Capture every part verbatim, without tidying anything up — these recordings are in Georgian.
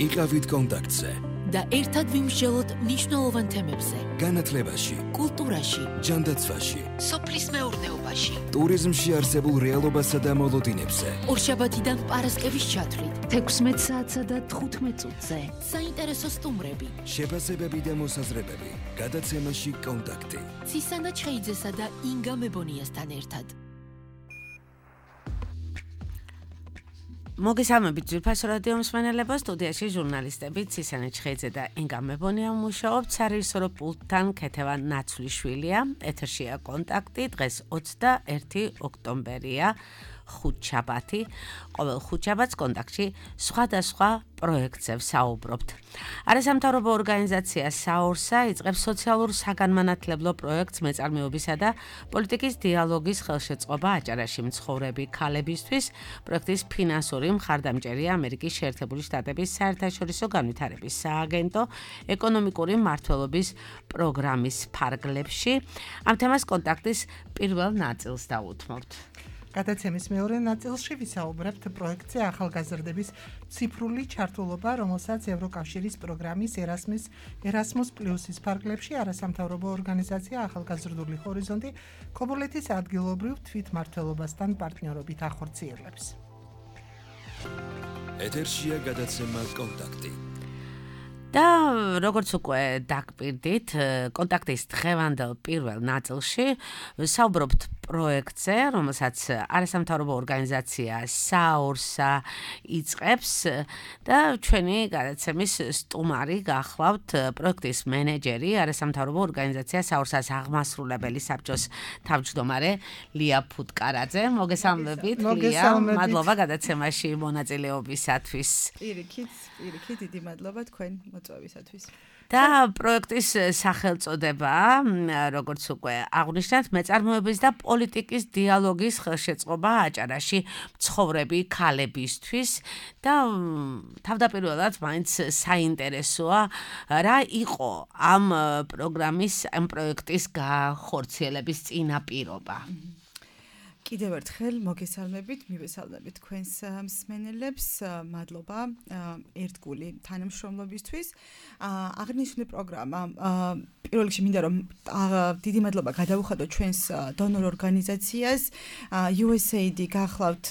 იყავით კონტაქტზე და ერთად ვიმსჯელოთ მნიშვნელოვან თემებზე. განათლებაში, კულტურაში, ჯანდაცვაში, სოფლის მეურნეობაში, ტურიზმში არსებულ რეალობასა და მოლოდინებზე. ორშაბათიდან პარასკევის ჩათვლით, თექვსმეტ საათსა და თხუთმეტ წუთზე. საინტერესო სტუმრები, შეფასებები და მოსაზრებები. გადაცემაში კონტაქტი. ცისანა ჩხეიძესა და ინგა მებონიასთან ერთად. მოგესალმებით ძვირფასო რადიო მსმენელებო, სტუდიაში ჟურნალისტები ცისანა ჩხეიძე და ინგა მებონია მუშაობთ, სარეჟისორო პულტთან ქეთევან ნაცვლიშვილია. ეთერშია კონტაქტი, დღეს ოცდაერთი ოქტომბერია, ხუთშაბათი. ყოველ ხუთშაბათს კონტაქტში სხვადასხვა პროექტზე ვსაუბრობთ. არასამთავრობო ორგანიზაცია საორსა იწყებს სოციალურ საგანმანათლებლო პროექტს მეწარმეობისა და პოლიტიკის დიალოგის ხელშეწყობა აჭარაში მცხოვრები ქალებისთვის. პროექტის ფინანსური მხარდამჭერია ამერიკის შეერთებული შტატების საერთაშორისო განვითარების სააგენტო ეკონომიკური მმართველობის პროგრამის ფარგლებში. ამ თემას კონტაქტის პირველ ნაწილს დავუთმობთ. გადაცემის მეორე ნაწილში ვისაუბრებთ პროექტზე ახალგაზრდების ციფრული ჩართულობა, რომელსაც ევროკავშირის პროგრამის ერასმის ერასმუს პლუსის ფარგლებში არასამთავრობო ორგანიზაცია ახალგაზრდული ჰორიზონტი ქობულეთის ადგილობრივ თვითმმართველობასთან პარტნიორობით ახორციელებს. ეთერშია გადაცემა კონტაქტი. და როგორც უკვე დაგპირდით, კონტაქტის დღევანდელ პირველ ნაწილში ვსაუბრობთ პროექტზე, რომელსაც არასამთავრობო ორგანიზაცია საორსა იწყებს და ჩვენი გადაცემის სტუმარი გახლავთ პროექტის მენეჯერი, არასამთავრობო ორგანიზაცია საორსას აღმასრულებელი საბჭოს თავმჯდომარე ლია ფუტკარაძე. მოგესალმებით, ლია. მადლობა გადაცემაში მონაწილეობისათვის. პირიქით, პირიქით, დიდი მადლობა თქვენ მოწვევისათვის. და პროექტის სახელწოდება, როგორც უკვე აღვნიშნეთ, მეწარმეობის და პოლიტიკის დიალოგის ხელშეწყობა აჭარაში მცხოვრები ქალებისთვის და თავდაპირველად მაინც საინტერესოა რა იყო ამ პროგრამის, ამ პროექტის გახორციელების წინაპირობა. კიდევ ერთხელ მოგესალმებით, მივესალმებით თქვენს მსმენელებს. მადლობა ერთგული თანამშრომლობისთვის. აღნიშნული პროგრამა პირველ რიგში მინდა რომ დიდი მადლობა გადავუხადოთ ჩვენს დონორ ორგანიზაციას იუ ეს ეი დი გახლავთ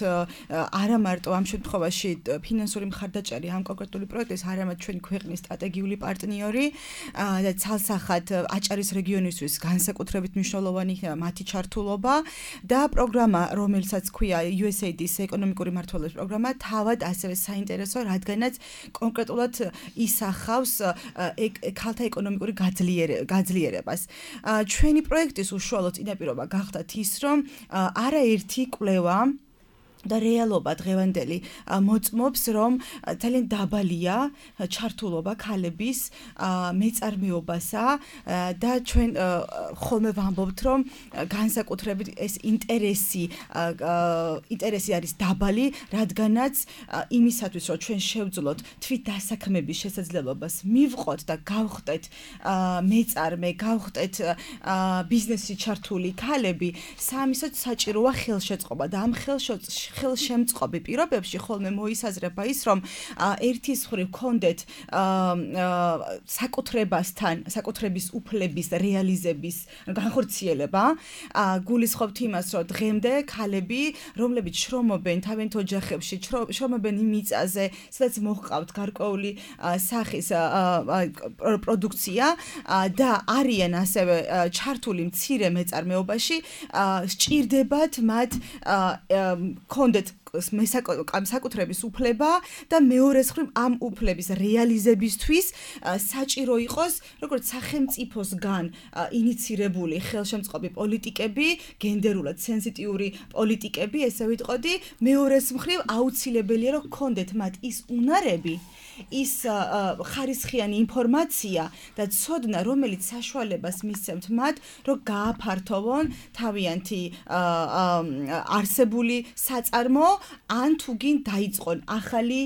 არა მარტო ამ შემთხვევაში ფინანსური მხარდაჭერი ამ კონკრეტული პროექტის, არამედ ჩვენი ქვეყნის სტრატეგიული პარტნიორი და ცალსახად აჭარის რეგიონისთვის განსაკუთრებით მნიშვნელოვანი მათი ჩართულობა და პროგრამა, რომელსაც ქვია იუ ეს ეი დის ეკონომიკური მმართველობის პროგრამა, თავად ასევე საინტერესო, რადგანაც კონკრეტულად ისახავს ქალთა ეკონომიკური გაძლიერებას. ჩვენი პროექტის უშუალო წინაპირობა გახდათ ის, რომ არაერთი კვლევა და რეალობა დღევანდელი მოწმობს, რომ ძალიან დაბალია ჩართულობა ქალების მეწარმეობასა და ჩვენ ხოლმე ვამბობთ, რომ განსაკუთრებით ეს ინტერესი ინტერესი არის დაბალი, რადგანაც იმისათვის, რომ ჩვენ შევძლოთ თვით დასაქმების შესაძლებლობას, მივყოთ და გავხდეთ მეწარმე, გავხდეთ ბიზნესში ჩართული ქალები, სამისოთ საჭიროა ხელშეწყობა და ამ ხელშეწყობა ხელშემწყობი პირობებში ხოლმე მოისაზრება ის, რომ ერთის მხრივ გქონდეთ საკუთრებასთან, საკუთრების უფლების რეალიზების განხორციელება, გულისხმობთ იმას, რომ დღემდე ქალები, რომლებიც შრომობენ თავიანთ ოჯახებში, შრომობენ იმ მიწაზე, სადაც მოჰყავთ გარკვეული სახის პროდუქცია და არიან ასევე ჩართული მცირე მეწარმეობაში, სჭირდებათ მათ კონდეთ საკუთრების უფლება და მეორე მხრივ ამ უფლების რეალიზებისთვის საჭირო იყოს როგორც სახელმწიფოსგან ინიცირებული ხელშემწყობი პოლიტიკები, გენდერულად სენსიტიური პოლიტიკები, ესე ვიტყოდი, მეორე მხრივ აუცილებელია, რომ გქონდეთ მათ ის უნარები, ის ხარისხიანი ინფორმაცია და ცოდნა, რომელიც საშუალებას მისცემთ მათ, რომ გააფართოვონ თავიანთი არსებული საწარმო ან თუ გინ დაიწყონ ახალი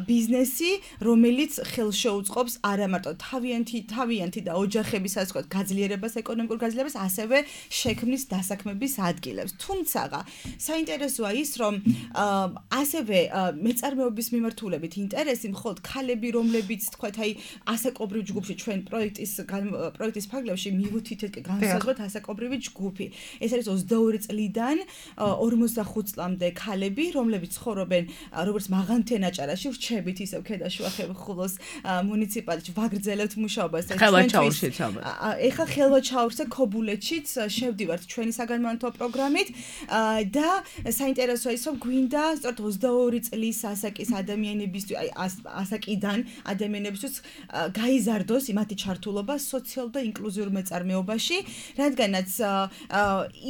ბიზნესი, რომელიც ხელშეუწყობს არა მარტო თავიანთი თავიანთი და ოჯახების ასე ვთქვათ გაძლიერებას, ეკონომიკურ გაძლიერებას, ასევე შექმნის დასაქმების ადგილებს. თუმცა საინტერესოა ის, რომ ასევე მეწარმეობის მიმართულებით ინტერესი მხოლოდ ქალები, რომლებიც თქვათ, აი ასაკობრივ ჯგუფში ჩვენ პროექტის პროექტის ფარგლებში მივუთითეთ განსაზღვრეთ ასაკობრივი ჯგუფი. ეს არის ოცდაორი წლიდან ორმოცდახუთ წლამდე ქალები, რომლებიც ცხოვრობენ როგორც მაღალმთენაჭარაში, ვრჩებით ისევ ქედაშუა ხულოს მუნიციპალიტეტში, ვაგრძელებთ მუშაობას და ხელვაჩაურშიც ალბათ. ეხლა ხელვაჩაურზე ქობულეთშიც შევდივართ ჩვენი საგანმანათლებლო პროგრამით და საინტერესოა ის, რომ გვინდა სწორედ ოცდაორი წლის ასაკის ადამიანებისთვის, აი ასაკიდან ადამიანებისთვის გაიზარდოს მათი ჩართულობა სოციალურ და ინკლუზიურ მეწარმეობაში, რადგანაც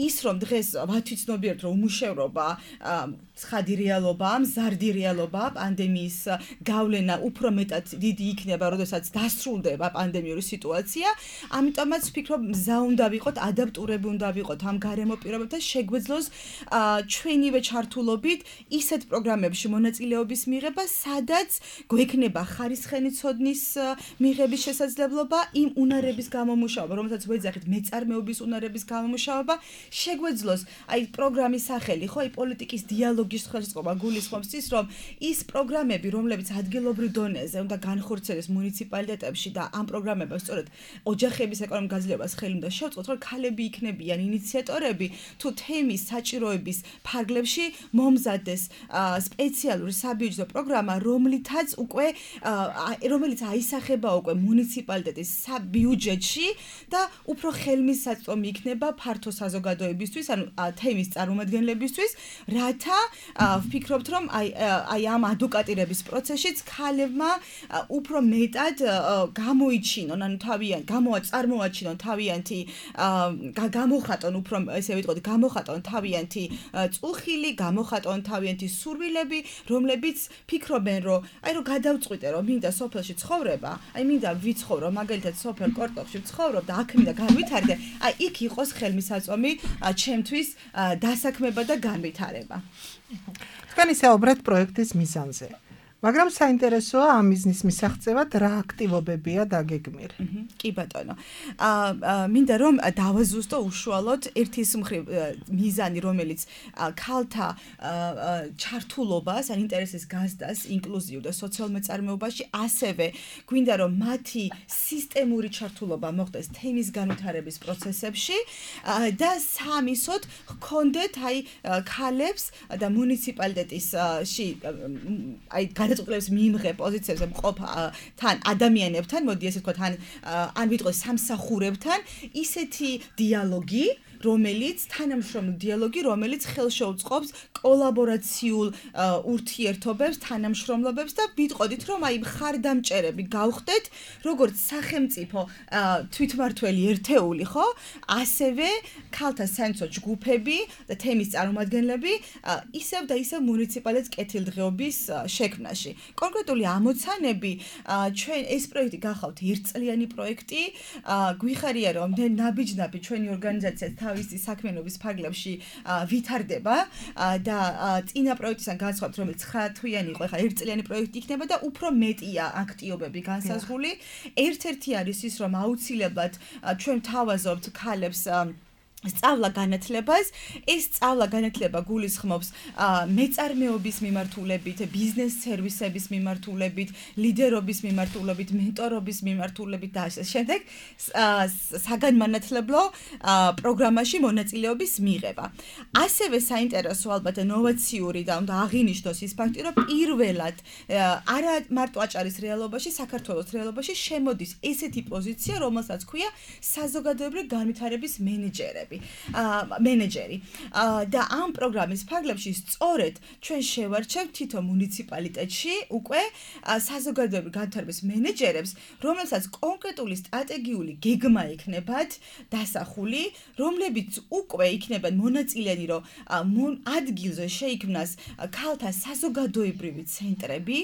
ის, რომ დღეს ვათვიცნობიერთ, რომ უმუშევრობა ცხადი რეალობაა, მზარდი რეალობაა, პანდემიის გავლენა უფრო მეტად დიდი იქნება, როდესაც დასრულდება პანდემიური სიტუაცია, ამიტომაც ვფიქრობ, მზა უნდა ვიყოთ, ადაპტურები უნდა ვიყოთ ამ გარემო პირობებთან, შეგვეძლოს ჩვენივე ჩართულობით ისეთ პროგრამებში მონაწილეობის მიღება, სადაც გვექნება ხარისხენი ცოდნის მიღების შესაძლებლობა, იმ უნარების გამომუშავება, რომელსაც ვეძახით მეწარმეობის უნარების გამომუშავება, შეგვეძლოს აი პროგრამის სახელი, ხო, აი პოლიტიკის დიალოგის ხელშეწყობა გულისხმობს ის, რომ ის პროგრამები, რომლებიც ადგილობრივ დონეზე უნდა განხორციელდეს მუნიციპალიტეტებში და ამ პროგრამებებს სწორედ ოჯახების ეკონომიკურ გაძლიერებას ხელი უნდა შევწყოთ, რომ ქალები იქნებიან ინიციატორები, თუ თემის საჭიროების ფარგლებში მომზადდეს სპეციალური საბიუჯეტო პროგრამა, რომლითაც უკვე რომელიც აისახება უკვე მუნიციპალიტეტის საბიუჯეტში და უფრო ხელმისაწვდომი იქნება ფართო საზოგადოებისთვის, ანუ თემის წარმომადგენლებისთვის, რათა ვფიქრობთ, რომ აი აი ამ ადვოკატირების პროცესშიც ქალებმა უფრო მეტად გამოიჩინონ, ანუ თავიანთ გამოაწარმოაჩინონ თავიანთი გამოხატონ უფრო ესე ვიტყოდი, გამოხატონ თავიანთი წუხილი, გამოხატონ თავიანთი სურვილები, რომლებიც ფიქრობენ, რომ აი რომ გადავწყვიტე, რომ მინდა სოფელში ცხოვრება, აი მინდა ვიცხოვრო, მაგალითად სოფელ კორტოფში ვცხოვრობ და აქ მინდა განვითარდე, აი იქ იყოს ხელმისაწვდომი ჩემთვის დასაქმება და განვითარება. თქვენ ისაუბრეთ პროექტის მიზანზე. მაგრამ საინტერესოა ამ მიზნის მისაღწევად რა აქტივობებია დაგეგმილი. კი ბატონო. აა მინდა რომ დავაზუსტო უშუალოდ ერთი ის მხრივ მიზანი, რომელიც ქალთა ჩართულობას, ან ინტერესის გაზრდას ინკლუზიურ და სოციალურ მეწარმეობაში, ასევე გვინდა რომ მათი სისტემური ჩართულობა მოხდეს თემის განვითარების პროცესებში და სამისოდ ჰქონდეთ აი ქალებს და მუნიციპალიტეტისში აი გადაწყვეტილების მიიღე პოზიციებზე მყოფ თან ადამიანებთან, მოდი ესე ვთქვათ, ან ან ვიტყვი სამსახურებთან, ისეთი დიალოგი, რომელიც თანამშრომლ დიალოგი, რომელიც ხელშეუწყობს კოლაბორაციულ ურთიერთობებს, თანამშრომლობებს და ვიტყოდით, რომ აი მხარდამჭერები გავხდეთ, როგორც სახელმწიფო თვითმართველი ერთეული, ხო? ასევე ქალთა საინტერესო ჯგუფები და თემის წარმომადგენლები, ისევ და ისევ მუნიციპალიტეტის კეთილდღეობის შექმნაში. კონკრეტული ამოცანები, ჩვენ ეს პროექტი გახავთ ერთწლიანი პროექტი, გვიხარია, რომ ნაბიჯ-ნაბიჯ ჩვენი ორგანიზაცია თავისი საქმიანობის ფარგლებში ვითარდება და წინა პროექტისგან განსხვავებით, რომელიც ცხრათვიანი იყო, ახლა ერთწლიანი პროექტი იქნება და უფრო მეტია აქტივობები განსაზღვრული. ერთ-ერთი არის ის, რომ აუცილებლად ჩვენ თავაზობთ ქალებს სწავლა განათლებას, ეს სწავლა განათლება გულისხმობს მეწარმეობის მიმართულებით, ბიზნეს სერვისების მიმართულებით, ლიდერობის მიმართულებით, მენტორობის მიმართულებით და ასე შემდეგ საგანმანათლებლო პროგრამაში მონაწილეობის მიღება. ასევე საინტერესო ალბათ ნოვაციური და უნდა აღინიშნოს ის ფაქტი, რომ პირველად არა მარტო აჭარის რეალობაში, საქართველოს რეალობაში შემოდის ესეთი პოზიცია, რომელსაც ქვია საზოგადოებრივი განვითარების მენეჯერები. მენეჯერი და ამ პროგრამის ფარგლებში სწორედ ჩვენ შევარჩევთ თითო მუნიციპალიტეტში უკვე საზოგადოებრივი განვითარების მენეჯერებს, რომელსაც კონკრეტული სტრატეგიული გეგმა იქნებათ დასახული, რომლებიც უკვე იქნებიან მონაწილეები, რომ ადგილზე შეიქმნას ქალთა საზოგადოებრივი ცენტრები.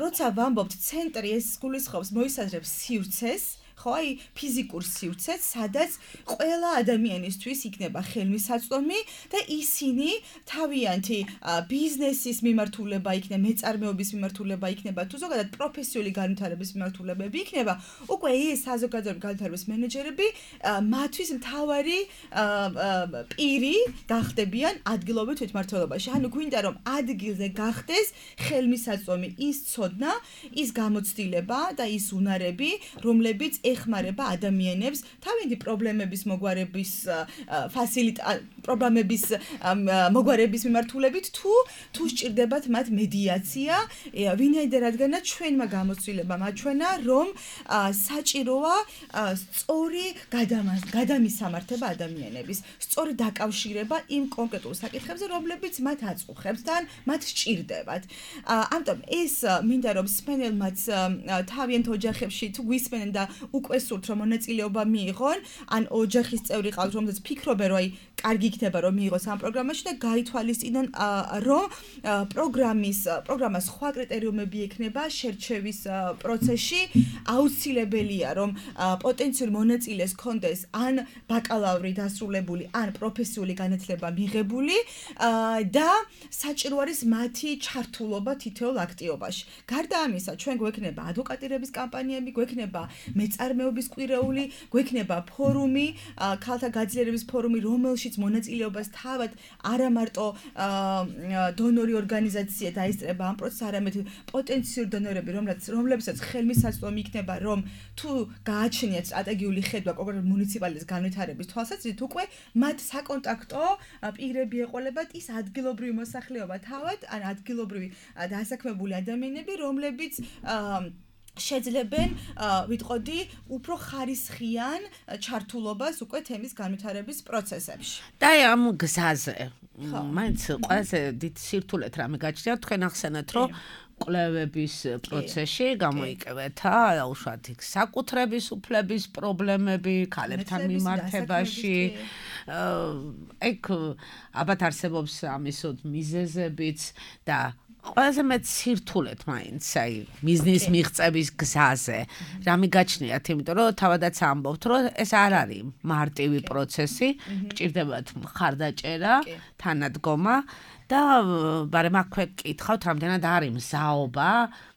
როცა ვამბობთ ცენტრი, ეს გულისხმობს მოისაზრებს სივრცეს, ხო, აი ფიზიკურ სივრცეც, სადაც ყველა ადამიანისთვის იქნება ხელმისაწვდომი და ისინი თავიანთი ბიზნესის მიმართულება იქნება, მეწარმეობის მიმართულება იქნება, თუ ზოგადად პროფესიული განვითარების მიმართულებები იქნება, უკვე ეს საზოგადოებრივი განვითარების მენეჯერები მათთვის მთავარი პირი გახდებიან ადგილობრივ თვითმმართველობაში. ანუ გვინდა რომ ადგილზე გახდეს ხელმისაწვდომი ის ცოდნა, ის გამოცდილება და ის უნარები, რომლებიც ეხმარება ადამიანებს თავიანთი პრობლემების მოგვარების ფასილიტა პრობლემების მოგვარების მიმართულებით თუ თუ სჭირდებათ მათ მედიაცია, ვინაიდან რადგანაც ჩვენმა გამოცდილებამ აჩვენა, რომ საჭიროა სწორი გადამისამართება ადამიანების, სწორი დაკავშირება იმ კონკრეტულ საკითხებზე, რომლებიც მათ აწუხებს და მათ სჭირდებათ. ამიტომ ეს მინდა რომ მსმენელმაც თავიანთ ოჯახებში თუ გვისმენენ და უკვე სურთ რომ მონაწილეობა მიიღონ, ან ოჯახის წევრი ყავთ, რომელზეც ფიქრობენ რომ აი კარგი იქნება რომ მიიღოს ამ პროგრამაში და გაითვალისწინონ რომ პროგრამის პროგრამას სხვა კრიტერიუმები ექნება შერჩევის პროცესში, აუცილებელია რომ პოტენციური მონაწილეს კონდეს ან ბაკალავრი დასრულებული, ან პროფესიული განათლება მიღებული და საჭირო არის მათი ჩართულობა თითოეულ აქტივობაში. გარდა ამისა, ჩვენ გვექნება ადვოკატირების კამპანიები, გვექნება მეწარმეობის კვირეული, გვექნება ფორუმი, ქალთა გაძლიერების ფორუმი, რომელშიც მონაწილეობას თავად არა მარტო დონორი ორგანიზაცია დაესწრება ამ პროცესს, არამედ პოტენციური დონორები, რომლებსაც ხელმისაწვდომი იქნება, რომ თუ გააჩნიათ სტრატეგიული ხედვა კონკრეტულ მუნიციპალიტეტის განვითარების თვალსაზრისით, უკვე მათ საკონტაქტო პირები ეყოლებათ ის ადგილობრივი მოსახლეობა თავად, ან ადგილობრივი დასაქმებული ადამიანები, რომლებიც შეძლებენ ვიტყოდი უფრო ხარისხიან ჩართულობას უკვე თემის განვითარების პროცესებში. და ამ გზაზე მაინც ყველაზე დიდ სირთულეთ რამე გაჩნია, თქვენ ახსენეთ, რომ კვლევების პროცესში გამოიკევეთა უშუალოდ იქ საკუთრების უფლების პრობლემები, ქალებთან მიმართებაში. ეგ ალბათ არსებობს ამისოდ მიზეზებიც და ყველაზე მეტ სირთულეთ მაინც აი ბიზნეს მიღწევის გზაზე რამე გაჩნიათ, იმიტომ რომ თავადაც ამბობთ, რომ ეს არ არის მარტივი პროცესი, გჭირდებათ მხარდაჭერა, თანადგომა და ბარემ აქვე კითხავთ, რამდენად არის მზაობა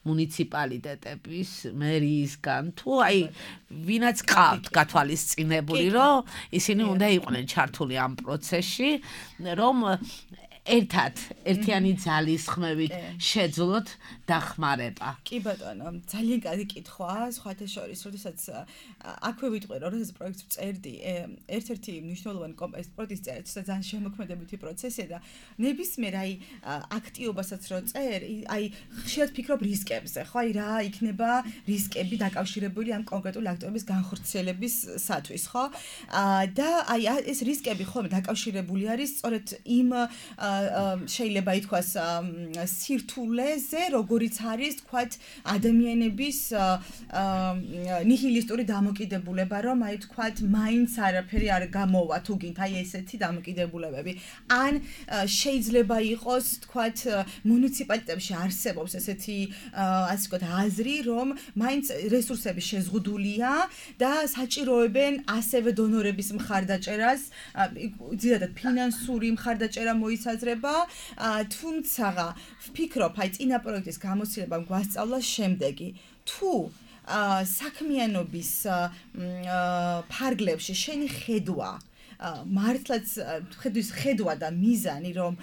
მუნიციპალიტეტების მერიისგან თუ აი ვინაც ყავთ გათვალისწინებული, რომ ისინი უნდა იყვნენ ჩართული ამ პროცესში, რომ ერთად ერთიანი ძალის ხმევით შეძლოთ დახმარება. კი ბატონო, ძალიან კარგი კითხვაა, სხვათა შორის, როდესაც აქვე ვიტყვი, რომ ეს პროექტს წერდი, ერთ-ერთი მნიშვნელოვანი კომპონენტი პროექტის წერა, ძალიან შემოქმედებითი პროცესია და ნებისმიერ აი აქტივობასაც რო წერ, აი ხშირად ფიქრობ რისკებზე, ხო, აი რა იქნება რისკები დაკავშირებული ამ კონკრეტული აქტივობის განხორციელებისათვის, ხო? და აი ეს რისკები ხოლმე დაკავშირებული არის სწორედ იმ შეიძლება ითქვას სირთულეზე, როგორიც არის თქვათ ადამიანების ნიჰილისტური დამოკიდებულება, რომ აი თქვათ მაინც არაფერი არ გამოვა თუ გინდ აი ესეთი დამოკიდებულებები. ან შეიძლება იყოს თქვათ მუნიციპალიტეტებში არსებობს ესეთი ასე ვთქვათ აზრი, რომ მაინც რესურსები შეზღუდულია და საჭიროებენ ასევე დონორების მხარდაჭერას, ძირითადად ფინანსური მხარდაჭერა მოიცავს თუმცა ვფიქრობ, აი წინა პროექტის გამოცდილებამ გვასწავლა შემდეგი. თუ საქმიანობის ფარგლებში შენი ხედვა მართლაც ხედვის ხედვა და მიზანი, რომ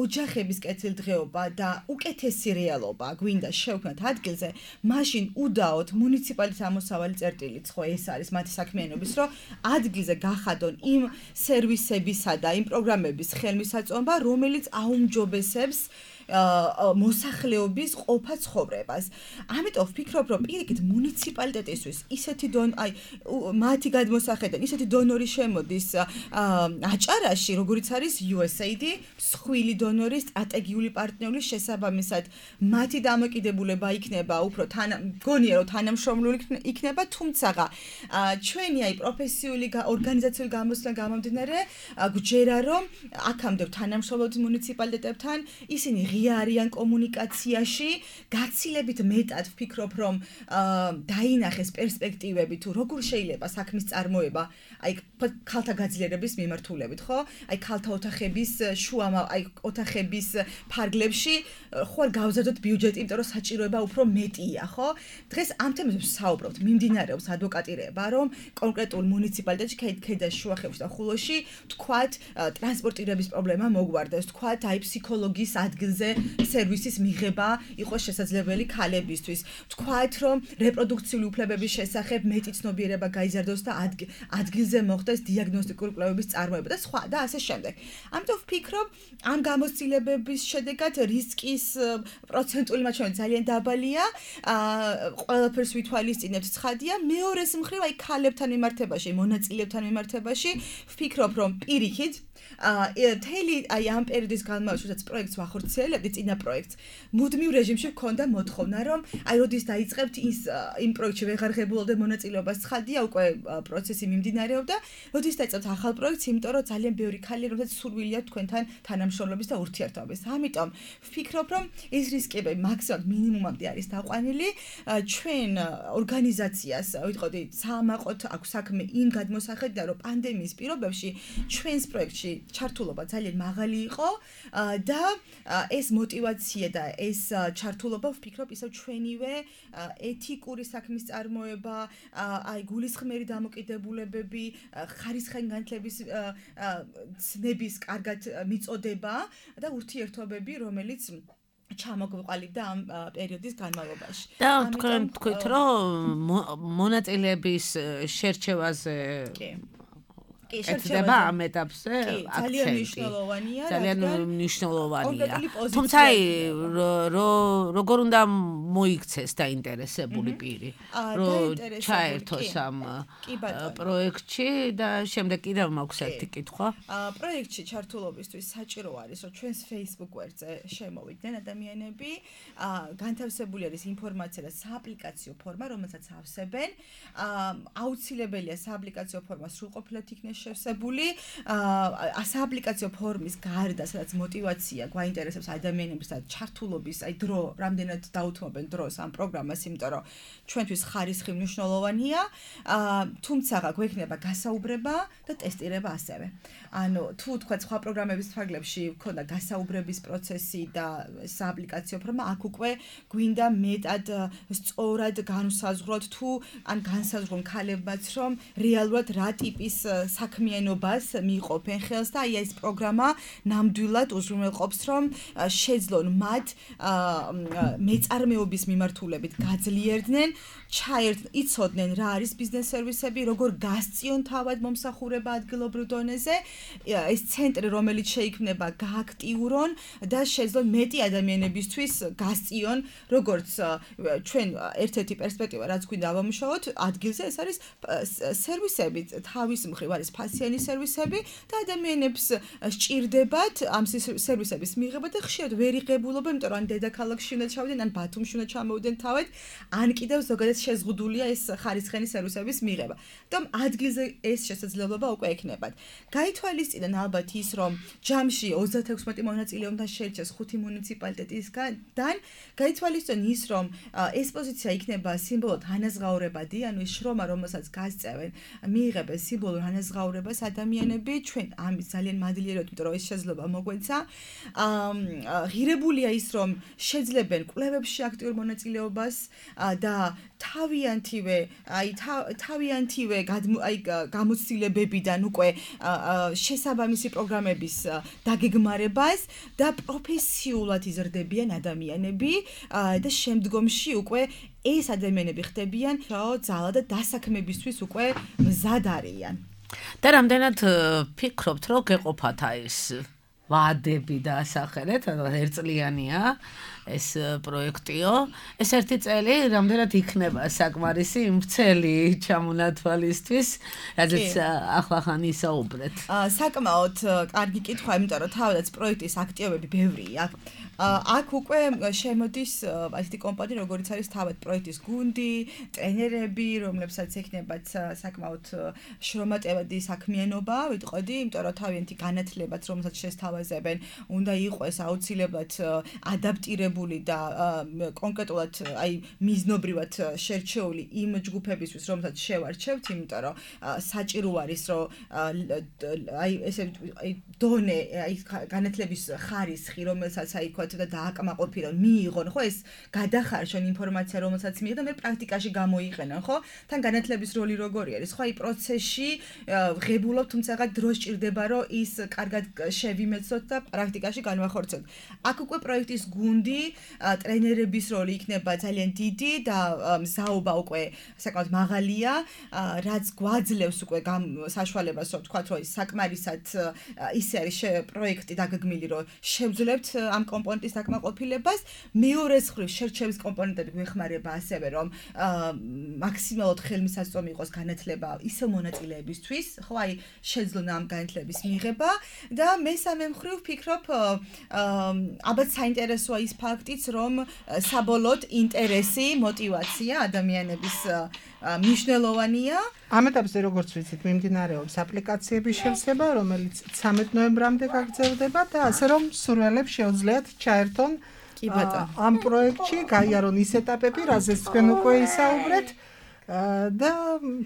ოჯახების კეთილდღეობა და უკეთესი რეალობა გვინდა შევქმნათ ადგილზე, მაშინ უდაოდ მუნიციპალიტეტის ამოსავალი წერტილიც ხო ეს არის მათი საქმიანობის, რომ ადგილზე გახადონ იმ სერვისებისა და იმ პროგრამების ხელმისაწვდომობა, რომელიც აუმჯობესებს მოსახლეობის ყოფა ცხოვრებას. ამიტომ ვფიქრობ, რომ პირიქით მუნიციპალიტეტისთვის ისეთი დონ აი მათი გადმოსახედიდან ისეთი დონორი შემოდის აჭარაში, როგორიც არის იუ ეს ეი დი, მსხვილი დონორი, სტრატეგიული პარტნიორი, შესაბამისად მათი დამოკიდებულება იქნება უფრო თან მგონია რომ თანამშრომლული იქნება, თუმცა ჩვენი აი პროფესიული ორგანიზაციული გამოცდილებიდან გამომდინარე, გვჯერა რომ აქამდე თანამშრომლობთ მუნიციპალიტეტებთან, ისინი ღია არიან კომუნიკაციაში, გაცილებით მეტად ვფიქრობ, რომ დაინახეს პერსპექტივები თუ როგორ შეიძლება საქმის წარმოება, აი ქალთა გაძლიერების მიმართულებით, ხო? აი ქალთა ოთახების შუა აი ოთახების ფარგლებში ხო არ გავზარდოთ ბიუჯეტი, იმიტომ რომ საჭიროება უფრო მეტია, ხო? დღეს ამ თემებზე ვსაუბრობთ, მიმდინარეობს ადვოკატირება, რომ კონკრეტულ მუნიციპალიტეტში, ქედაში, შუახევში და ხულოში თქვათ ტრანსპორტირების პრობლემა მოგვარდეს, თქვათ აი ფსიქოლოგის ადგილზე სერვისის მიღება იყოს შესაძლებელი ქალებისთვის, თქვათ რომ რეპროდუქციული უფლებების შესახებ მეტი ცნობიერება გაიზარდოს და ადგილზე მოხდეს დიაგნოსტიკური კვლევების წარმოება და სხვა და ასე შემდეგ. ამიტომ ვფიქრობ, ამ გამოცდილებების შედეგად რისკის პროცენტული მაჩვენებელი ძალიან დაბალია, ყველაფერს ვითვალისწინებთ ცხადია, მეორეს მხრივ აი ქალებთან მიმართებაში, მონაწილეებთან მიმართებაში ვფიქრობ, რომ პირიქით თელი აი ამ პერიოდის განმავლობაში, როდესაც პროექტს ვახორციელებდი, წინა პროექტს, მუდმივ რეჟიმში მქონდა მოთხოვნა, რომ აი როდის დაიწყებთ ის იმ პროექტში ვეღარ ღებულობდე მონაწილეობას, ცხადია, უკვე პროცესი მიმდინარეობდა, როდის დაიწყებთ ახალ პროექტს, იმიტომ რომ ძალიან ბევრი ქალია, რომელსაც სურვილი აქვს თქვენთან თანამშრომლობის და ურთიერთობის. ამიტომ ვფიქრობ, რომ ეს რისკები მაქსიმალურად მინიმუმამდე არის დაყვანილი. ჩვენ ორგანიზაციას, ვიტყოდი, საამაყოთ აქვს საქმე იმ გადმოსახედიდან, რომ პანდემიის პირობებში ჩვენს პროექტში ჩართულობა ძალიან მაღალი იყო და ეს მოტივაცია და ეს ჩართულობა ვფიქრობ ისევ ჩვენივე ეთიკური საქმის წარმოება, აი გულისხმერი დამოკიდებულებები, ხარისხენგანთლების ცნების კარგად მიწოდება და ურთიერთობები, რომელიც ჩამოგვიყალიბდა ამ პერიოდის განმავლობაში. და თქვენ თქვით, რომ მონაწილეების შერჩევაზე ეთდება ამ ეტაპზე ძალიან მნიშვნელოვანია, ძალიან მნიშვნელოვანია. თუმცა როგორ უნდა მოიქცეს დაინტერესებული პირი, რომ ჩაერთოს ამ პროექტში და შემდეგ კიდევ მაქვს ერთი კითხვა. პროექტში ჩართულობისთვის საჭირო არის, რომ ჩვენს Facebook გვერდზე შემოვიდნენ ადამიანები, განთავსებული არის ინფორმაცია და სააპლიკაციო ფორმა, რომელსაც ავსებენ. აუცილებელია სააპლიკაციო ფორმა სრულყოფილად იქნეს შევსებული, სააპლიკაციო ფორმის გარდა, სადაც მოტივაცია გვაინტერესებს ადამიანების და ჩართულობის, აი დრო, რამდენად დაუთმობენ დროს ამ პროგრამას, იმიტომ რომ ჩვენთვის ხარისხი მნიშვნელოვანია, თუმცა გვექნება გასაუბრება და ტესტირება ასევე. ანუ თუ თქვა სხვა პროგრამების ფარგლებში ქონდა გასაუბრების პროცესი და სააპლიკაციო ფორმა, აქ უკვე გვინდა მეტად სწორად განსაზღვროთ თუ ან განსაზღვრონ ქალებმაც, რომ რეალურად რა ტიპის საქმიანობას მიიღებენ ხელს და აი ეს პროგრამა ნამდვილად უზრუნველყოფს, რომ შეძლონ მათ მეწარმეობის მიმართულებით გაძლიერდნენ, ჩაერთონ, იცოდნენ რა არის ბიზნეს სერვისები, როგორ გასწიონ თავად მომსახურება ადგილობრივ დონეზე, ეს ცენტრი, რომელიც შეიქმნება, გააქტიურონ და შეძლონ მეტი ადამიანებისთვის გასწიონ, როგორც ჩვენ ერთ-ერთი პერსპექტივა, რაც გვინდა ავამუშავოთ, ადგილზე ეს არის სერვისები, თავის მხრივ არის ფასიანი სერვისები და ადამიანებს სჭირდებათ ამ სერვისების მიღება და ხშირად ვერ იღებულობენ, იმიტომ რომ ან დედაქალაქში უნდა ჩავიდნენ, ან ბათუმში უნდა ჩამოვიდნენ თავად, ან კიდევ ზოგადად შეზღუდულია ეს ხარისხენი სერვისების მიღება. და ადგილზე ეს შესაძლებლობა უკვე ექნებათ. გაითვალისწინონ ალბათ ის, რომ ჯამში ოცდათექვსმეტი მონაწილე უნდა შეირჩეს ხუთი მუნიციპალიტეტისგან, გაითვალისწინონ ის, რომ ეს პოზიცია იქნება სიმბოლოდ ანაზღაურებადი, ანუ ის შრომა, რომელსაც გასწევენ, მიიღებენ სიმბოლურ ანაზღაურებას ადამიანები, ჩვენ ამის ძალიან მადლიერად, იმიტომ რომ ეს შესაძლებლობა მოგვეცა. ღირებულია ის, რომ შეძლებენ კვლევებში აქტიურ მონაწილეობას და თავიანთივე, აი თავიანთივე აი გამოცდილებებიდან უკვე შესაბამისი პროგრამების დაგეგმარებას და პროფესიულად იზრდებიან ადამიანები და შემდგომში უკვე ეს ადამიანები ხდებიან ძალა და დასაქმებისთვის უკვე მზად არიან. და რამდენად ფიქრობთ, რომ გეყოფათ ეს ვადები და ასახელეთ, ერთწლიანია ეს პროექტიო. ეს ერთი წელი რამდენად იქნება საკმარისი იმ წელი ჩამონათვალისთვის, რადგან ახლახან ისაუბრეთ. საკმაოდ კარგი კითხვა, იმიტომ რომ თავადაც პროექტის აქტივები ბევრია. აქ უკვე შემოდის ასეთი კომპანია, როგორიც არის თავად პროექტის გუნდი, ტრენერები, რომლებსაც ექნებათ საკმაოდ შრომატევადი საქმიანობა, ვიტყოდი, იმიტომ რომ თავიანთი განათლებაც, რომელსაც შესთავაზებენ, უნდა იყოს აუცილებლად ადაპტირებული და კონკრეტულად აი მიზნობრივად შერჩეული იმ ჯგუფებისთვის, რომელსაც შევარჩევთ, იმიტომ რომ საჭირო არის, რომ აი ესე აი დონე, აი განათლების ხარისხი, რომელსაც აი და დააკმაყოფილონ, მიიღონ, ხო, ეს გადახარშონ ინფორმაცია, რომელსაც მიიღონ, მე პრაქტიკაში გამოიყენონ, ხო? თან განათლების როლი როგორი არის, ხო, აი პროცესში ღებულობ, თუმცა დრო სჭირდება, რომ ის კარგად შევიმეცოთ და პრაქტიკაში განვახორციელოთ. აქ უკვე პროექტის გუნდი, ტრენერების როლი იქნება ძალიან დიდი და მზაობა უკვე საკმაოდ მაღალია, რაც გვაძლევს უკვე საშუალებას, რომ ვთქვათ, რომ საკმარისად ისე არის პროექტი დაგეგმილი, რომ შევძლებთ ამ კომპონენტს საკმაყოფილებას, მეორეს მხრივ შერჩევის კომპონენტები გვეხმარება ასევე, რომ მაქსიმალურად ხელმისაწვდომი იყოს განათლება ისე მონაწილეებისთვის, ხო, აი შეძლონ ამ განათლების მიღება და მესამე მხრივ ვფიქრობ, ალბათ საინტერესოა ის ფაქტიც, რომ საბოლოოდ ინტერესი, მოტივაცია ადამიანების მნიშვნელოვანია. ამ ეტაპზე როგორც ვიცით, მიმდინარეობს აპლიკაციების შევსება, რომელიც ცამეტ ნოემბრამდე გაგრძელდება და ასე რომ სურვილებს შეუძლიათ ჩაერთონ ამ პროექტში, გაიარონ ის ეტაპები, რაზეც თქვენ უკვე ისაუბრეთ. და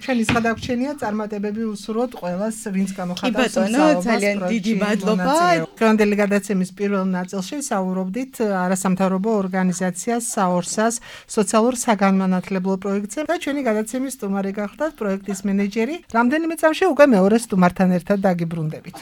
ჩვენი გადაგვრჩენია წარმატებები უსურვოთ ყველას, ვინც გამოხატავს მსაუბარს. ძალიან დიდი მადლობა. დღევანდელი გადაცემის პირველ ნაწილში საუბრობდით არასამთავრობო ორგანიზაციას საორსას სოციალურ საგანმანათლებლო პროექტზე და ჩვენი გადაცემის სტუმარი გახლდათ პროექტის მენეჯერი. რამდენიმე წამში უკვე მეორე სტუმართან ერთად დაგიბრუნდებით.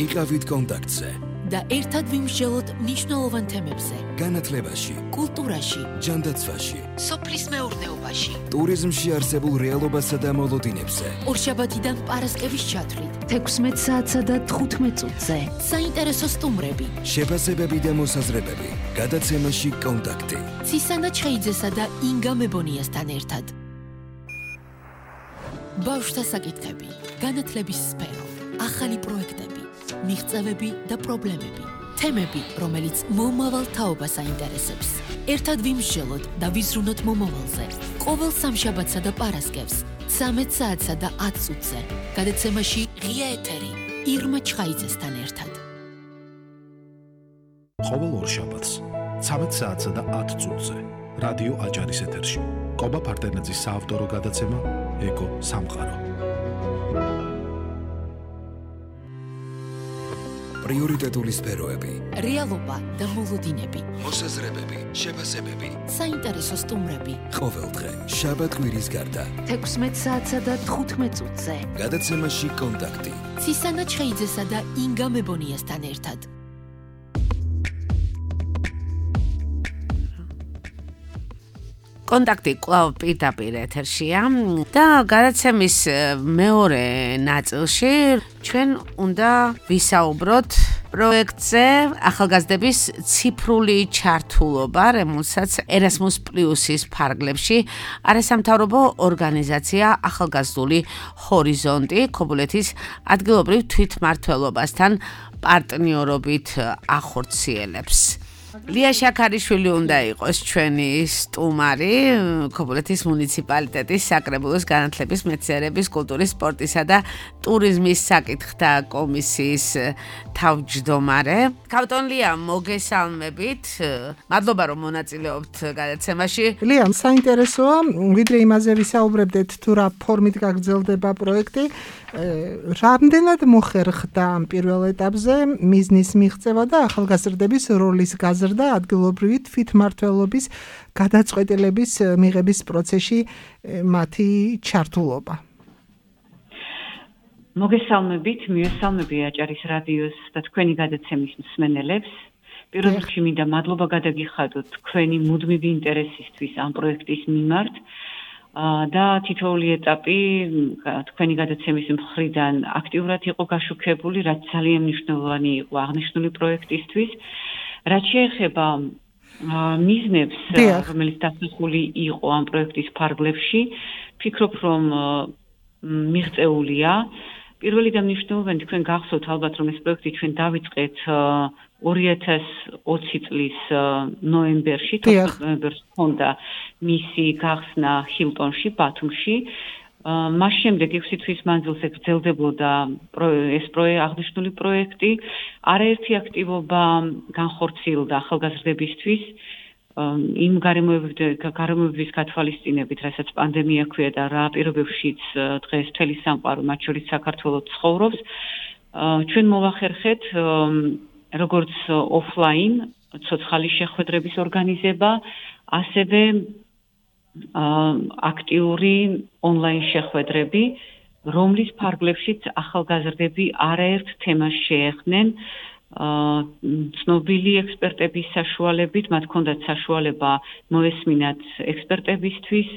იყავით კონტაქტზე და ერთად ვიმსჯელოთ მნიშვნელოვან თემებზე. განათლებაში, კულტურაში, ჯანდაცვაში, სოფლის მეურნეობაში, ტურიზმში არსებულ რეალობასა და მოლოდინებზე. ორშაბათიდან პარასკევის ჩათვლით. თექვსმეტ საათსა და თხუთმეტ წუთზე. საინტერესო სტუმრები. შეფასებები და მოსაზრებები. გადაცემაში კონტაქტი. ცისანა ჩხეიძესა და ინგა მებონიასთან ერთად. ბავშვთა საკითხები, განათლების სფერო, ახალი პროექტები, მიღწევები და პრობლემები. თემები, რომელიც მომავალ თაობას აინტერესებს. ერთად ვიმსჯელოთ და ვიზრუნოთ მომავალზე. ყოველ სამშაბათსა და პარასკევს, ცამეტ საათსა და ათ წუთზე. გადაცემაში ღია ეთერი, ირმა ჩხაიძესთან ერთად. ყოველ ორშაბათს, ცამეტ საათსა და ათ წუთზე. რადიო აჭარის ეთერში. კობა ფარტენაძის საავტორო გადაცემა ეკო სამყარო. პრიორიტეტული სფეროები, რეალობა და მოლოდინები, მოსაზრებები, შეფასებები, საინტერესო სტუმრები. ყოველდღე, შაბათ-კვირის გარდა. თექვსმეტ საათსა და თხუთმეტ წუთზე. გადაცემაში კონტაქტი. ცისანა ჩხეიძესა და ინგა მებონიასთან ერთად. კონტაქტი კვლავ პირდაპირ ეთერშია და გადაცემის მეორე ნაწილში ჩვენ უნდა ვისაუბროთ პროექტზე ახალგაზრდების ციფრული ჩართულობა, რომელსაც ერასმუს პლუსის ფარგლებში არასამთავრობო ორგანიზაცია ახალგაზრდული ჰორიზონტი ქობულეთის ადგილობრივ თვითმმართველობასთან პარტნიორობით ახორციელებს. ლია შაქარიშვილი უნდა იყოს ჩვენი სტუმარი ქობულეთის მუნიციპალიტეტის საკრებულოს განათლების, მეცნიერების, კულტურის, სპორტისა და ტურიზმის საკითხთა კომისიის თავმჯდომარე. ქავტონ ლია, მოგესალმებით. მადლობა რომ მონაწილეობთ გადაცემაში. ლია, საინტერესოა, ვიდრე იმაზე ვისაუბრებდეთ თუ რა ფორმით გაგრძელდება პროექტი. რამდენად მოხერხდა ამ პირველ ეტაპზე მიზნის მიღწევა და ახალგაზრდების როლის გაზრდა ადგილობრივი თვითმმართველობის გადაწყვეტილების მიღების პროცესში მათი ჩართულობა. მოგესალმებით, მიესალმები აჭარის რადიოს და თქვენი გადაცემის მსმენელებს. პირველ რიგში მინდა მადლობა გადაგიხადოთ თქვენი მუდმივი ინტერესისთვის ამ პროექტის მიმართ. და თითოეული ეტაპი თქვენი გადაცემის მხრიდან აქტიურად იყო გაშუქებული, რაც ძალიან მნიშვნელოვანი იყო აღნიშნული პროექტისთვის. რაც შეეხება მიზნებს, რომელიც დასახული იყო ამ პროექტის ფარგლებში, ვფიქრობ, რომ მიღწეულია. პირველი და მნიშვნელოვანი თქვენ გახსოვთ ალბათ, რომ ეს პროექტი ჩვენ დავიწყეთ ორი ათას ოცი წლის ნოემბერში, თოთხმეტ ნოემბერს ჰქონდა მისი გახსნა ჰილტონში, ბათუმში. მას შემდეგ ექვსი თვის მანძილზე გრძელდებოდა ეს აღნიშნული პროექტი. არაერთი აქტივობა განხორციელდა ახალგაზრდებისთვის იმ გარემოებების გათვალისწინებით, რასაც პანდემია ქვია და რა პირობებშიც დღეს მთელი სამყარო, მათ შორის საქართველოს ცხოვრობს. ჩვენ მოვახერხეთ როგორც ოფლაინ ცოცხალი შეხვედრების ორგანიზება, ასევე აქტიური ონლაინ შეხვედრები, რომლის ფარგლებშიც ახალგაზრდები არაერთ თემას შეეხნენ, ცნობილი ექსპერტების საშუალებით, მათ ჰქონდათ საშუალება მოესმინათ ექსპერტებისთვის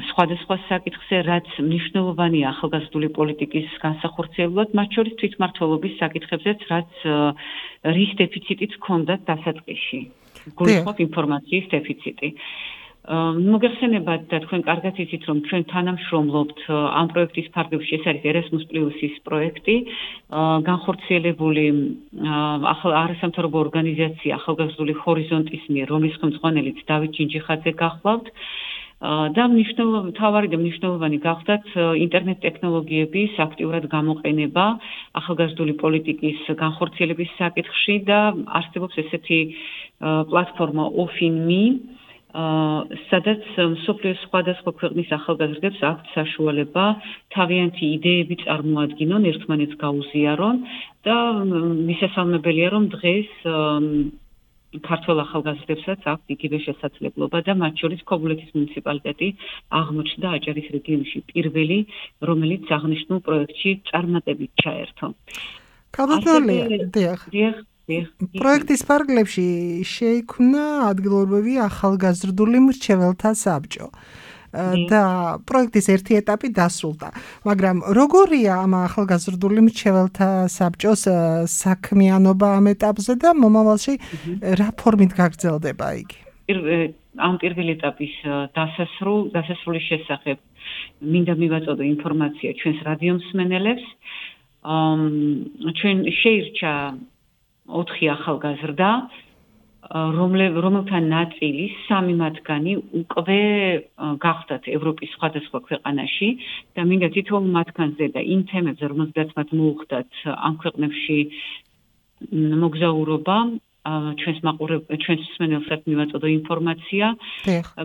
სხვადასხვა საკითხზე, რაც მნიშვნელოვანია ახალგაზრდული პოლიტიკის განსახორციელებლად, მათ შორის თვითმმართველობის საკითხებზეც, რაც რის დეფიციტიც ჰქონდათ დასაწყისში. გულისხმობ ინფორმაციის დეფიციტი. მოგეხსენებათ და თქვენ კარგად იცით, რომ ჩვენ თანამშრომლობთ ამ პროექტის ფარგლებში, ეს არის Erasmus Plus-ის პროექტი, განხორციელებული არასამთავრობო ორგანიზაცია ახალგაზრდული ჰორიზონტის მიერ, რომლის ხელმძღვანელიც დავით ჯინჯიხაძე გახლავთ. და მთავარი და მნიშვნელოვანი გახდათ ინტერნეტ ტექნოლოგიების აქტიურად გამოყენება ახალგაზრდული პოლიტიკის განხორციელების საკითხში და არსებობს ესეთი პლატფორმა ოფინმი, სადაც მსოფლიოს სხვადასხვა ქვეყნის ახალგაზრდებს აქვთ საშუალება თავიანთი იდეები წარმოადგინონ, ერთმანეთს გაუზიარონ და მისასალმებელია, რომ დღეს ქართველ ახალგაზრდებსაც აქვთ იგივე შესაძლებლობა და მათ შორის ქობულეთის მუნიციპალიტეტი აღმოჩნდა აჭარის რეგიონში პირველი, რომელიც აღნიშნულ პროექტში წარმატებით ჩაერთო. ქალბატონია, დიახ. პროექტის ფარგლებში შეიქმნა ადგილობრივი ახალგაზრდული მრჩეველთა საბჭო. და პროექტის ერთი ეტაპი დასრულდა. მაგრამ როგორია ამ ახალგაზრდული მრჩეველთა საბჭოს საქმიანობა ამ ეტაპზე და მომავალში რა ფორმით გაგრძელდება იგი? ამ პირველი ეტაპის დასასრულ დასასრულის შესახებ მინდა მივაწოდო ინფორმაცია ჩვენს რადიო მსმენელებს. ჩვენ შეირჩა ოთხი ახალგაზრდა, რომელთა ნაწილი სამი მათგანი უკვე გახდათ ევროპის სხვადასხვა ქვეყანაში და მინდა თითოეულ მათგანზე და იმ თემებზე, რომელზედაც მათ მოუხდათ ამ ქვეყნებში მოგზაურობა, ჩვენს მაყურებელს, ჩვენს მსმენელსაც მივაწოდო ინფორმაცია.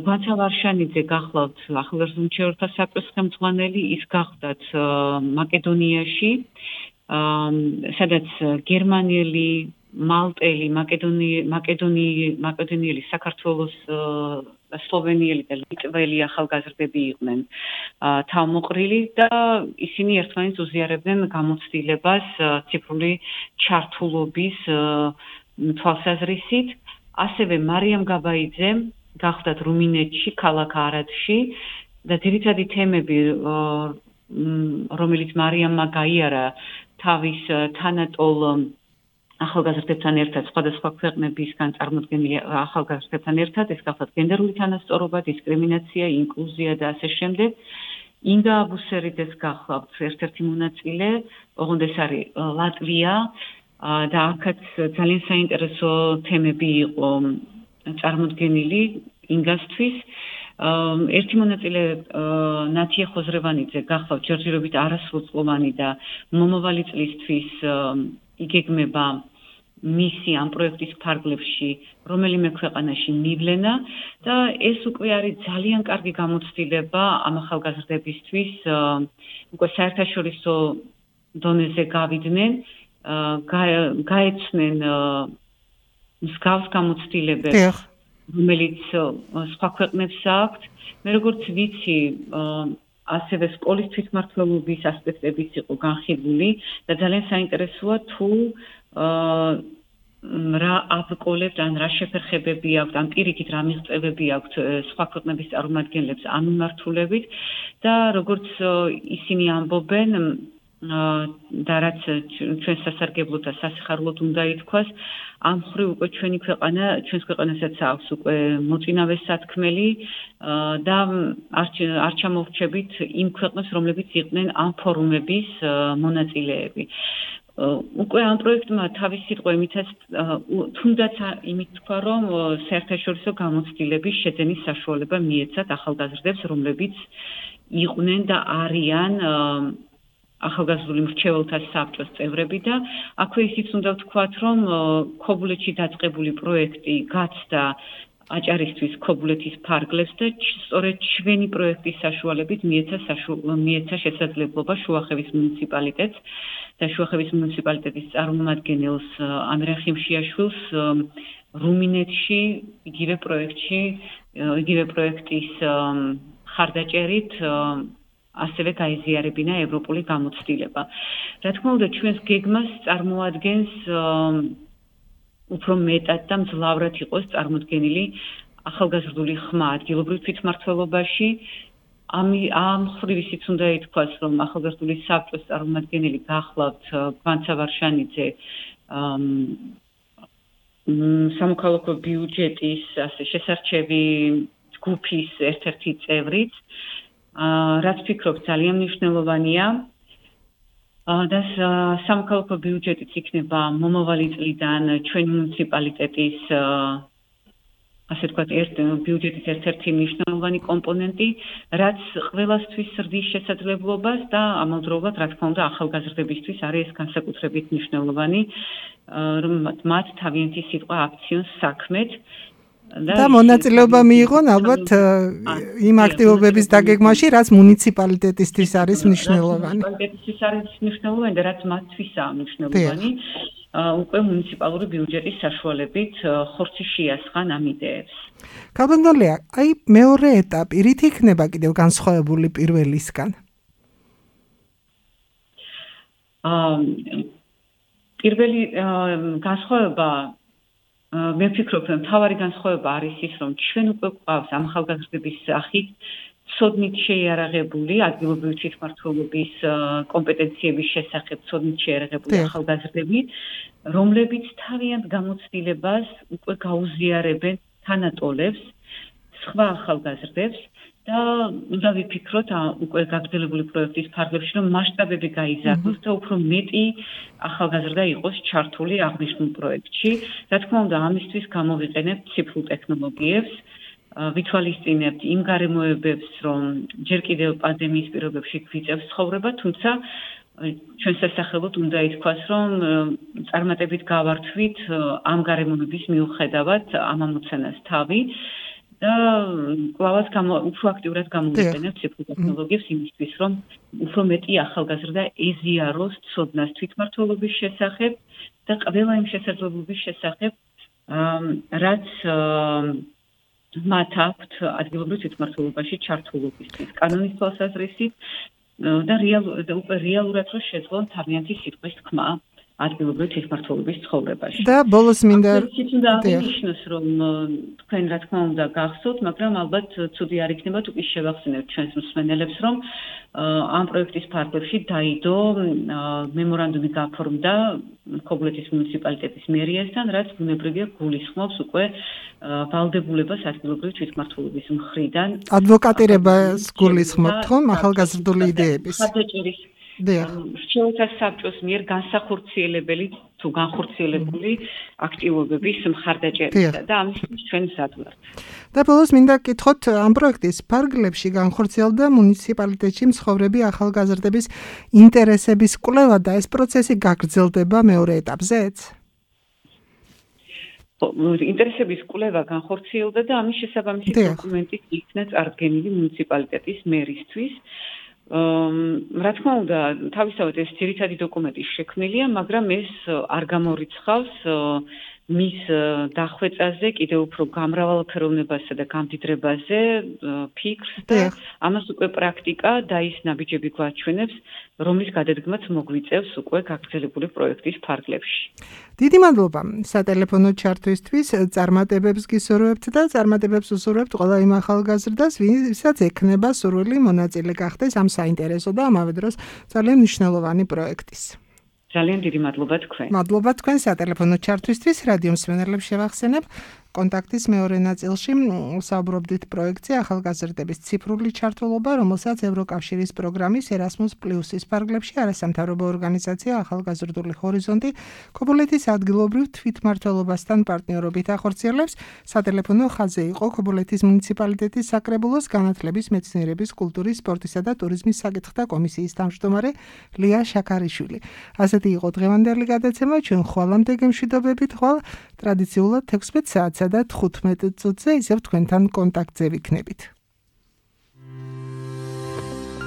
გვანცა ვარშანიძე გახლავთ ახალგაზრდულ მრჩეველთა საბჭოს ხელმძღვანელი, ის გახდათ მაკედონიაში, სადაც გერმანელი, მალტელი, მაკედონიელი, საქართველოს, სლოვენიელი და ლიტველი ახალგაზრდები იყვნენ თავმოყრილი და ისინი ერთმანეთს უზიარებდნენ გამოცდილებას ციფრული ჩართულობის თვალსაზრისით. ასევე მარიამ გაბაიძე გახდათ რუმინეთში, ქალაქ არადში და ძირითადი თემები, რომელიც მარიამმა გაიარა თავის თანატოლ ახალგაზრდებთან ერთად, სხვადასხვა ქვეყნებისგან წარმოდგენილი ახალგაზრდებთან ერთად, ეს გახლავთ გენდერული თანასწორობა, დისკრიმინაცია, ინკლუზია და ასე შემდეგ. ინგა აბუსერიძეს გახლავთ ერთ-ერთი მონაწილე, ოღონდ ეს არის ლატვია და აქაც ძალიან საინტერესო თემები იყო წარმოდგენილი ინგასთვის. ერთი მონაწილე ნათია ხოზრევანიძე გახლავთ ჯერჯერობით არასრულწლოვანი და მომავალი წლისთვის იგეგმება მისი ამ პროექტის ფარგლებში რომელიმე ქვეყანაში მივლენა და ეს უკვე არის ძალიან კარგი გამოცდილება ამ ახალგაზრდებისთვის, უკვე საერთაშორისო დონეზე გავიდნენ, გაეცნენ მსგავს გამოცდილებებს, რომელიც სხვა ქვეყნებს აქვთ. მე როგორც ვიცი, ასევე სკოლის თვითმმართველობის ასპექტებიც იყო განხილული და ძალიან საინტერესოა თუ რა აბკოლებს, ან რა შეფერხებები აქვთ, ან პირიქით რა მიღწევები აქვთ სხვა ქვეყნების წარმომადგენლებს ამ მიმართულებით და როგორც ისინი ამბობენ და რაც ჩვენ სასარგებლოდ და სასიხარლოდ უნდა ითქვას, ამ ხრივ უკვე ჩვენი ქვეყანა, ჩვენს ქვეყანასაც აქვს უკვე მოწინავე სათქმელი და არ ჩამოვრჩებით იმ ქვეყნებს, რომლებიც იყვნენ ამ ფორუმების მონაწილეები. უკვე ამ პროექტმა თავის სიტყვა იმითაც თუნდაც იმით თქვა, რომ საერთაშორისო გამოცდილების შეძენის საშუალება მიეცათ ახალგაზრდებს, რომლებიც იყვნენ და არიან ახალგაზრდული მრჩეველთა საბჭოს წევრები და აქვე ისიც უნდა ვთქვათ, რომ ქობულეთში დაწყებული პროექტი გაცდა აჭარისთვის ქობულეთის ფარგლებს და სწორედ ჩვენი პროექტის საშუალებით მიეცა მიეცა შესაძლებლობა შუახევის მუნიციპალიტეტს და შუახევის მუნიციპალიტეტის წარმომადგენელს ამირან ხიმშიაშვილს რუმინეთში იგივე პროექტში იგივე პროექტის ხარდაჭერით ასევე გაიზიარებინა ევროპული გამოცდილება. რა თქმა უნდა, ჩვენს გეგმას წარმოადგენს უფრო მეტად და მძლავრად იყოს წარმოდგენილი ახალგაზრდული ხმა ადგილობრივ თვითმმართველობაში. ამ ხრივ ისიც უნდა ითქვას, რომ ახალგაზრდული საბჭოს წარმომადგენელი გახლავთ გვანცა ვარშანიძე სამოქალაქო ბიუჯეტის შესარჩევი ჯგუფის ერთ-ერთი წევრიც, რაც ფიქრობ ძალიან მნიშვნელოვანია. და სამოქალაქო ბიუჯეტიც იქნება მომავალი წლიდან ჩვენი მუნიციპალიტეტის ასე ვთქვათ, ერთ ბიუჯეტის ერთ-ერთი მნიშვნელოვანი კომპონენტი, რაც ყველასთვის ზრდის შესაძლებლობას და ამავდროულად, რა თქმა უნდა, ახალგაზრდებისთვის არის განსაკუთრებით მნიშვნელოვანი, რომ მათ თავიანთი სიტყვა აქციონ საქმეთ და მონაწილეობა მიიღონ ალბათ იმ აქტივობების დაგეგმვაში, რაც მუნიციპალიტეტისთვის არის მნიშვნელოვანი. მუნიციპალიტეტისთვის არის მნიშვნელოვანი და რაც მათთვისაა მნიშვნელოვანი. უკვე მუნიციპალური ბიუჯეტის საშუალებით ხორცი შეასხან ამ იდეებს. ქალბატონია, აი მეორე ეტაპი რით იქნება კიდევ განსხვავებული პირველისგან? პირველი განსხვავება მე ვფიქრობ, რომ მთავარი განსხვავება არის ის, რომ ჩვენ უკვე გვყავს ამ ახალგაზრდების სახით ცოდნით შეიარაღებული ადგილობრივი თვითმმართველობის კომპეტენციების შესახებ ცოდნით შეიარაღებული ახალგაზრდები, რომლებიც თავიანთ გამოცდილებას უკვე გაუზიარებენ თანატოლებს, სხვა ახალგაზრდებს და უნდა ვიფიქროთ უკვე გაგრძელებული პროექტის ფარგლებში, რომ მასშტაბები გაიზარდოს და უფრო მეტი ახალგაზრდა იყოს ჩართული აღნიშნულ პროექტში. რა თქმა უნდა, ამისთვის გამოვიყენებთ ციფრულ ტექნოლოგიებს, ვითვალისწინებთ იმ გარემოებებს, რომ ჯერ კიდევ პანდემიის პირობებში გვიწევს ცხოვრება, თუმცა ჩვენ სასახელოდ უნდა ითქვას, რომ წარმატებით გავართვით ამ გარემოების მიუხედავად ამ ამოცანას თავი და კვლავაც უფრო აქტიურად გამოვიყენებთ ციფრულ ტექნოლოგიებს იმისთვის, რომ უფრო მეტი ახალგაზრდა ეზიაროს ცოდნას თვითმმართველობის შესახებ და ყველა იმ შესაძლებლობის შესახებ, რაც მათ აქვთ ადგილობრივ თვითმმართველობაში ჩართულობისთვის, კანონის თვალსაზრისით და უკვე რეალურად რომ შეძლონ თავიანთი სიტყვის თქმა ადგილობრივ თვითმმართველობის ცხოვრებაში. და ბოლოს მინდა აღნიშნოს, რომ თქვენ რა თქმა უნდა გახსოვთ, მაგრამ ალბათ ცუდი არ იქნება თუ ის შევახსენებთ ჩვენს მსმენელებს, რომ ამ პროექტის ფარგლებში დაიდო მემორანდუმი გაფორმდა ქობულეთის მუნიციპალიტეტის მერიასთან, რაც ბუნებრივია გულისხმობს უკვე ვალდებულებას ადგილობრივ თვითმმართველობის მხრიდან ადვოკატირებას გულისხმობთ ხომ ახალგაზრდული იდეების რჩეულთა საბჭოს მიერ განსახორციელებელი თუ განხორციელებული აქტივობების მხარდაჭერისა და ამისთვის ჩვენ მზად ვართ. და ბოლოს მინდა გკითხოთ, ამ პროექტის ფარგლებში განხორციელდა მუნიციპალიტეტში მცხოვრები ახალგაზრდების ინტერესების კვლევა და ეს პროცესი გაგრძელდება მეორე ეტაპზეც? ინტერესების კვლევა განხორციელდა და ამის შესაბამისი დოკუმენტი იქნა წარდგენილი მუნიციპალიტეტის მერისთვის. რა თქმა უნდა, თავისთავად ეს ძირითადი დოკუმენტი შექმნილია, მაგრამ ეს არ გამორიცხავს მის დახვეწაზე, კიდევ უფრო გამრავალფეროვნებასა და გამდიდრებაზე ფიქრს და ამას უკვე პრაქტიკა და ის ნაბიჯები გვაჩვენებს, რომლის გადადგმაც მოგვიწევს უკვე გაგრძელებული პროექტის ფარგლებში. დიდი მადლობა სატელეფონო ჩართვისთვის, წარმატებებს გისურვებთ და წარმატებებს უსურვებთ ყველა იმ ახალგაზრდას, ვისაც ექნება სურვილი მონაწილე გახდეს ამ საინტერესო და ამავე დროს ძალიან მნიშვნელოვანი პროექტის. ძალიან დიდი მადლობა თქვენ. მადლობა თქვენ სატელეფონო ჩართვისთვის. რადიო მსმენელებს შევახსენებ, კონტაქტის მეორე ნაწილში საუბრობდით პროექტზე ახალგაზრდების ციფრული ჩართულობა, რომელსაც ევროკავშირის პროგრამის Erasmus Plus-ის ფარგლებში არასამთავრობო ორგანიზაცია ახალგაზრდული ჰორიზონტი ქობულეთის ადგილობრივ თვითმმართველობასთან პარტნიორობით ახორციელებს. სატელეფონო ხაზზე იყო ქობულეთის მუნიციპალიტეტის საკრებულოს განათლების, მეცნიერების, კულტურის, სპორტისა და ტურიზმის საკითხთა კომისიის თავმჯდომარე ლია შაქარიშვილი. ასეთი იყო დღევანდელი გადაცემა. ჩვენ ხვალამდე გემშვიდობებით, ხვალ ტრადიციულად ექვსმეტ საათსა და თხუთმეტ წუთზე ისევ თქვენთან კონტაქტზე ვიქნებით.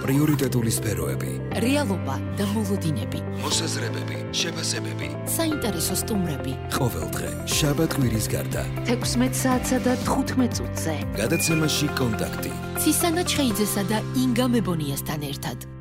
პრიორიტეტული სფეროები, რეალობა და მოლოდინები, მოსაზრებები, შეფასებები, საინტერესო სტუმრები. ყოველდღე შაბათ კვირის გარდა ექვსმეტ საათსა და თხუთმეტ წუთზე. გადაცემაში კონტაქტი. ცისანა ჩხეიძესა და ინგა მებონიასთან ერთად.